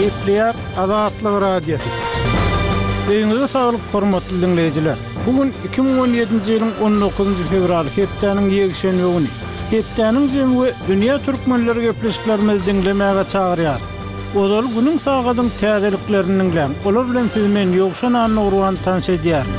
Gepleýär Azatlyk Radiosy. Öýüňize saglyk hormatly diňleýjiler! Bu gün 2017-nji ýylyň 19-njy fewraly hepdäniň ýekşenbe güni. Hepdäniň jemi we dünýä türkmenleri gepleşiklerimizi diňlemäge çagyrýar. Ozaly günüň sagadyň täzeliklerini diňläň, olar bilen sizi men Ýowşan Annagurban tanyş edýärin.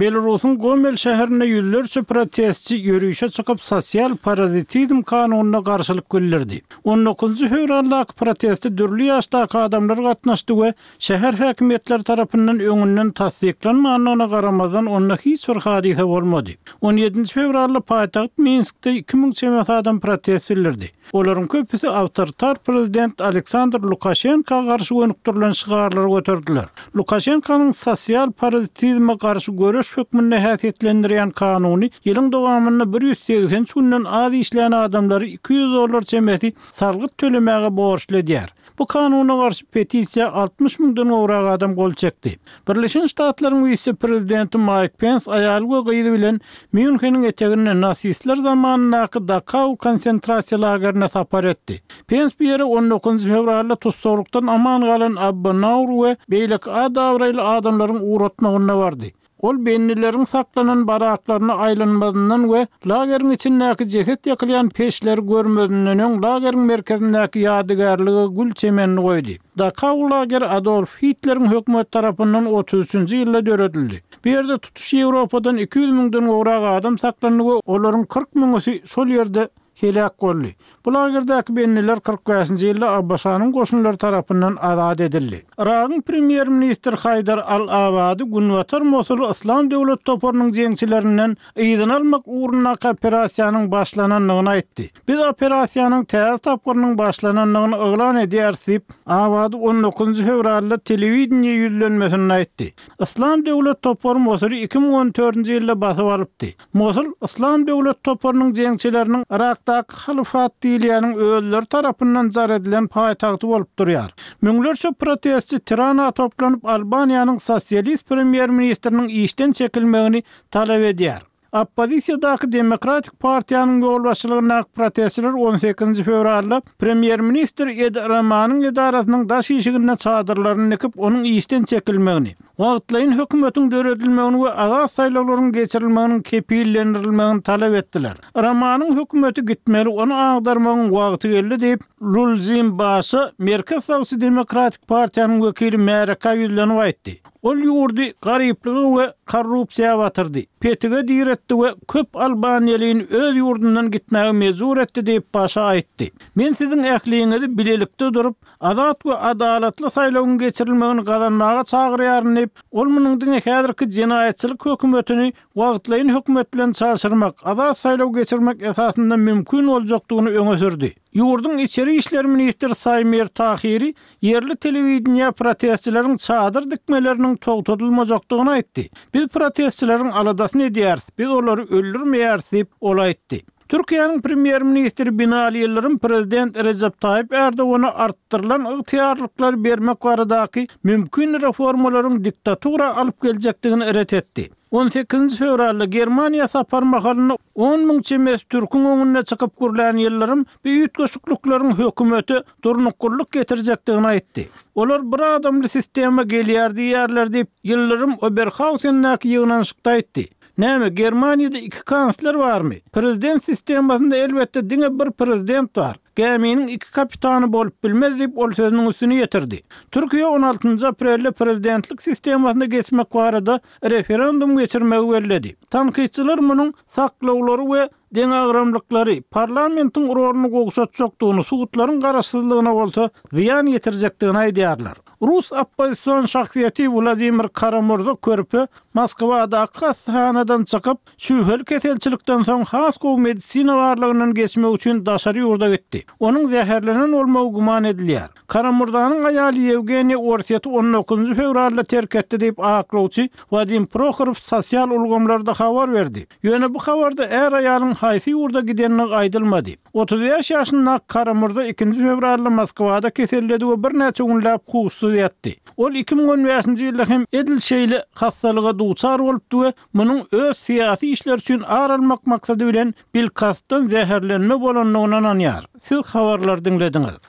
Belarusyň Gomel şäherinde ýüzlerçe protestçi ýörişe çykyp sosial parazitizm kanunyna garşylyk bildirdi. On dokuzynjy fewraldaky proteste dürli ýaşdaky adamlar gatnaşdy we şäher häkimiýetleri tarapyndan öňünden tassyklanmandygyna garamazdan onda hiç bir hadysa bolmady. On ýedinji fewralda paýtagt Minskde 2000 çemesi adam protest bildirdi. Olaryň köpüsi awtoritar prezident Aleksandr Lukaşenka garşy gönükdirilen şygarlary göterdiler. Lukaşenkanyň sosial parazitizme garşy göreş hökmünde häsiýetlendirýän kanuny ýylyň dowamynda 183 günden az işlän adamlary 200 dollar çemesi salgyt tölemäge borçly edýär. Bu kanuna garşy petisiýa 60 müňden gowrak adam gol çekdi. Birleşen Ştatlaryň wise-prezidenti Maýk Pens aýaly we gyzy bilen Mýunheniň eteginde nasistler zamanyndaky Dakau konsentrasiýa lagerine sapar etdi. Pens bu ýere on dokuzynjy fewralda tussaglykdan aman galan Abba Naur we beýleki at-abraýly adamlaryň ugratmagynda bardy. Ol bendileriň saklanan baraklaryna aýlanmazyndan we lageriň içindäki jeset ýakylýan peçleri görmezinden öň lageriň merkezindäki ýadygärlige gül çemenini goýdy. Dakau lageri Adolf Hitleriň hökümeti tarapyndan 33-nji ýylda döredildi. Bu ýerde tutuş Ýewropadan 200 müňden gowrak adam saklandy we olaryň 40 müňüsi şol ýerde heläk boldy. Bu lagerdäki bendiler 45-nji ýylda ABŞ-nyň goşunlary tarapyndan azat edildi. Yragyň premýer-ministri Haýdar al-Abady günbatar Mosuly Yslam döwlet toparynyň jeňçilerinden yzyna almak ugrundaky operasiýanyň başlanandygyny aýtdy. Biz operasiýanyň täze tapgyrynyň başlanandygyny yglan edýäris diýip, Abady on dokuzynjy fewralda telewideniýe ýüzlenmesinde aýtdy. Yslam döwlet topary Mosuly 2014-nji ýylda basyp alypdy. Mosul Yslam döwlet toparynyň jeňçileriniň Yrakdaky halyfat diýilýäniň özleri tarapyndan jar edilen paýtagty bolup durýar. Müňlerçe protestçi Tirana toplanyp, Albaniýanyň sosialist premýer-ministriniň işden çekilmegini talap edýär. Oppozisiýadaky Demokratik partiýanyň ýolbaşçylygyndaky protestçiler on sekizinji fewralda premýer-ministr Edi Ramanyň edarasynyň daş işiginde çadyrlaryny dikip, onuň işden çekilmegini, wagtlaýyn hökümetiň döredilmegini we azat saýlawlaryň geçirilmeginiň kepillendirilmegini talap etdiler. Ramanyň hökümeti gitmeli, ony agdarmagyň wagty geldi diýip, Lulzim Başa, Merkez sagçy Demokratik partiýanyň wekili märekä ýüzlenip aýtdy. Ol ýurdy garyplyga we korrupsiýa batyrdy, petige diretdi we köp albaniýalyny öz ýurdundan gitmäge mejbur etdi diýip, Başa aýtdy. Men siziň ähliňizi bilelikde durup, azat we adalatly saýlawyň geçirilmegini gazanmaga çagyrýaryn diýip, ol munuň diňe häzirki jenaýatçylyk hökümetini wagtlaýyn hökümet bilen çalşyrmak, azat saýlaw geçirmek esasynda mümkin boljakdygyny öňe sürdi. Ýurduň içeri işler ministri Saýmir Tahiri ýerli telewideniýä protestçileriň çadyr dikmeleriniň togtadylmajakdygyny aýtdy. Biz protestçileriň aladasyny edýäris, biz olary öldürmeýäris diýip, ol aýtdy. Türkiýäniň Premýer-ministri Binali Ýyldyrym Prezident Rejep Taýyp Erdogana artdyrylan ygtyýarlyklary bermek baradaky mümkin reformalaryň diktatura alyp geljekdigini ret etdi. On sekizinji fewralda Germaniýa sapar mahalynda 10 müň çemesi türküň öňünde çykyp gürlän Ýyldyrym bu üýtgeşiklikleriň hökümete durnuklylyk getirjekdigini aýtdy. Olar bir adamly sistema gelýär diýýärler diýip, Ýyldyrym Oberhausendäki ýygnanyşykda aýtdy. Näme, Germaniýada iki kansler barmy? Prezident sistemasynda elbetde diňe bir prezident bar. Gäminiň iki kapitany bolup bilmez diýip, ol sözüniň üstüni ýetirdi. Türkiýe on altynjy aprelde prezidentlik sistemasyna geçmek barada referendum geçirmegi belledi. Tankytçylar munuň saklawlary we deňagramlyklary, parlamentiň roluny gowşatjakdygyny, sudlaryň garaşsyzlygyna bolsa zyýan ýetirjekdigini aýdýarlar. Rus oppozision şahsyýeti Wladimir Kara-Murza körpe Moskwadaky hassahanadan çykyp, şübheli keselçilikden soň has gowy medisina barlagyndan geçmek üçin daşary ýurda gitdi. Onuň zäherlenen bolmagy güman edilýär. Kara-Murzanyň aýaly Ýewgeniýa Orsýeti on dokuzynjy fewralda terk etdi diýip, aklawçy Wadim Prohorow sosial ulgamlarda habar berdi. Ýöne bu habarda är-aýalyň haýsy ýurda gidendigi aýdylmady. 35 ýaşyndaky Kara-Murza ikinji fewralda Moskwada keselledi we birnäçe günläp huşsuz ýatdy. Ol 2015-nji ýylda hem edil şeýle hassalyga duçar bolupdy we munuň öz syýasy işleri üçin ar almak maksady bilen bilkastdan zäherlenme bolandygyna ynanýar. Siz habarlary diňlediňiz.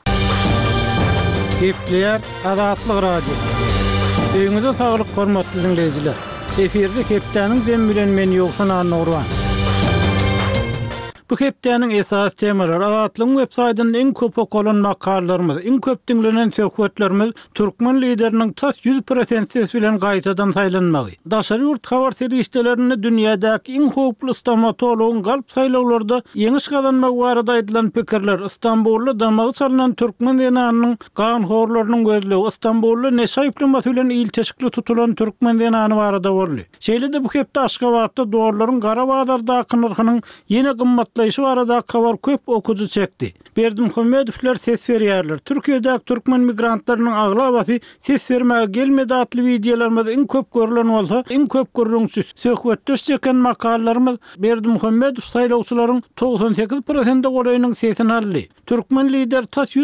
Gepleýär Azatlyk Radiosy. Öýüňize saglyk hormatly diňleýjiler. Efirde hepdäniň jemi bilen men Ýowşan Annagurban. Bu hepdäniň esasy temalary Azatlygyň web saýtynda iň köp okalan makalalarymyz, iň köp diňlenen söhbetlerimiz türkmen lideriniň tas 100% ses bilen gaýtadan saýlanmagy, daşary ýurt habar serişdelerinde dünýädäki iň howply stomatologyň galp saýlawlarda ýeňiş gazanmagy barada aýdylan pikirler, Stambulda damagy çalnan türkmen zenanynyň ganhorlarynyň gözlegi, Stambulda neşe aýyplamasy bilen ilteşikli tutulan türkmen zenany barada boldy. Şeýle-de bu hepde Aşgabatda dollaryň gara bazardaky nyrhynyň ýene gymmatlaýşy baradaky habar köp okyjy çekdi. Berdimuhamedowlar ses berýärler. Türkiýedäki türkmen migrantlarynyň aglabasy ses bermäge gelmedi atly wideolarymyz iň köp görlen bolsa, iň köp gürrüňçi, söhbetdeş çeken makalalarymyz Berdimuhamedow saýlawçylaryň 98 prosente golaýynyň sesini aldy. Türkmen lideri tas.